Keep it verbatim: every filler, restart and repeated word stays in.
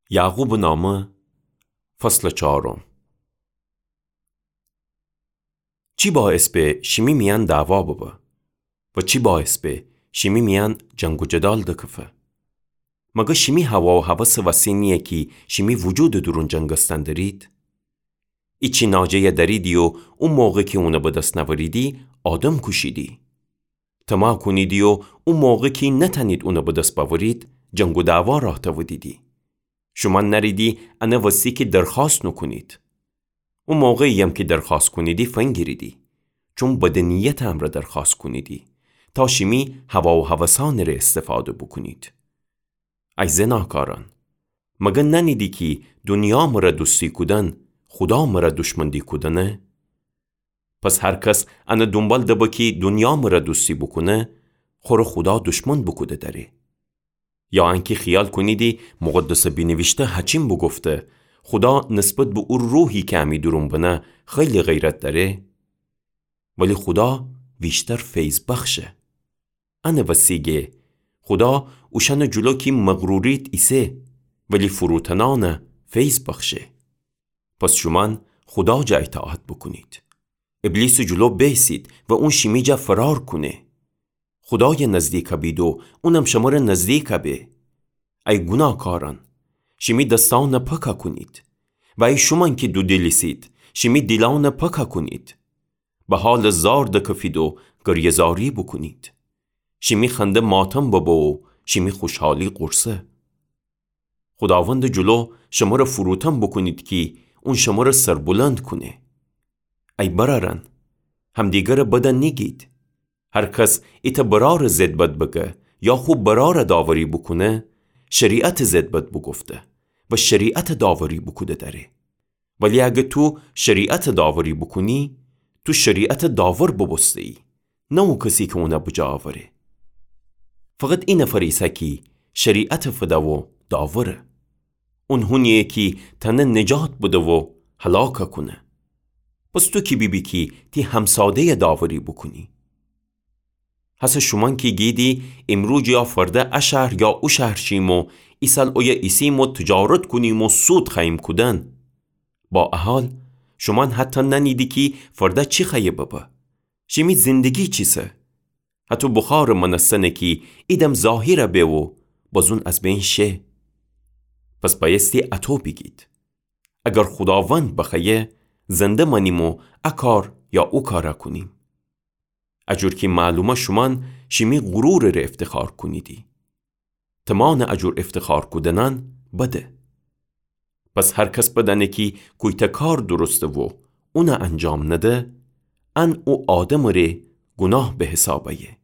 یعقوبٚ نامه، فصلٚ چارم. چی باعث به شیمی میأن دعوا ببه؟ و چی باعث به شیمی میأن جنگ و جدال دکفه؟ مگر شیمی هوا و هوسٚ وسی نییه کی شیمی وجودٚ دورون جنگستن درید؟ ایچی ناجه‌یه دریدی و او موقع کی اونه به دس نأوریدی، آدم کوشیدی. طمع کونیدی و او موقع کی نتأنید اونه به دس بأورید، جنگ و دعوا راه تأودیدی. شومأن نأریدی انه وسی کی درخوأست نوکونید. او موقعییم کی درخوأست کونیدی فنگیریدی، چون بدٚ نیتٚ امرأ درخوأست کونیدی، تا شیمی هوا و هوسأنٚ ره استفاده بوکونید. ای زناکارأن، مگر نأنیدی کی دونیا مرأ دوستی کودن، خودا مرأ دوشمندی کودنه؟ پس هر کس انه دونبال دبه کی دونیا مرأ دوستی بوکونه، خوره خودا دوشمن بوکوده دأره. یا انکی خیال کونیدی مقدسٚ بینیویشته هچین بوگفته، خودا نسبت به او روحی کی امی دورون بنه خیلی غیرت دأره؟ ولی خودا ویشتر فیض‌بخشه. انه وسی گه، خودا اوشأنٚ جلو کی مغرورید ایسه، ولی فروتنأنه فیض بخشه. پس شومأن خودا جا ایطاعت بوکونید. ابلیسٚ جلو بیسید و اون شیمی جا فرار کونه. خودایَ نزدیک بید و اونم شمره نزدیک به. ای گوناهکارأن، شیمی دستأنَ پاکَ کونید. و ای شومأن کی دودیل ایسید، شیمی دیلأنَ پاکَ کونید. به حالٚ زار دکفید و گریه‌زاری بوکونید. شیمی خنده ماتم ببه و شیمی خوشحالی غورصه. خوداوندٚ جلو شمره فروتن بوکونید کی اون شمره سربلند کونه. ای برأرأن، همدیگرَ بدَ نیگید. هر کس ایتأ برأرٚ ضد بد بگه یا خو برأرَ داوری بوکونه، شریعتٚ ضد بد بوگفته و شریعتَ داوری بوکوده دأره. ولی اگر تو شریعتَ داوری بوکونی، تو شریعتٚ داور بوبوسته‌یی، نه او کسی کی اونَ بجا اوره. فقط ای نفر ایسه کی شریعتَ فده و داوره. اون هونییه کی تأنه نجات بده و هلاکَ کونه. پس تو کی بیبی کی تی همساده‌یَ داوری بوکونی؟ هسه شومأن کی گیدی ایمروز یا فرده ا شهر یا او شهر شیم و ایسال اویه ایسیم و تجارت کونیم و سود خوأییم کودن. با ا حال، شومأن حتی نأنیدی کی فرده چی خوأیه ببه. شیمی زندگی چیسه؟ هطو بخارٚ مأنستنه کی ایدم ظاهر به و بازون از بین شه. پس بأیستی اطو بیگید: اگر خوداوند بخوأیه، زنده مأنیم و ا کار یا او کارَ کونیم. ا جور کی معلومه شومأن شیمی غرورٚ ره افتخار کونیدی. تمانٚ ا جور افتخار کودنأن بده. پس هر کس بدأنه کی کویتأ کار درسته و اونَ انجام نده، ان او آدمٚ ره گوناه به حساب ایه.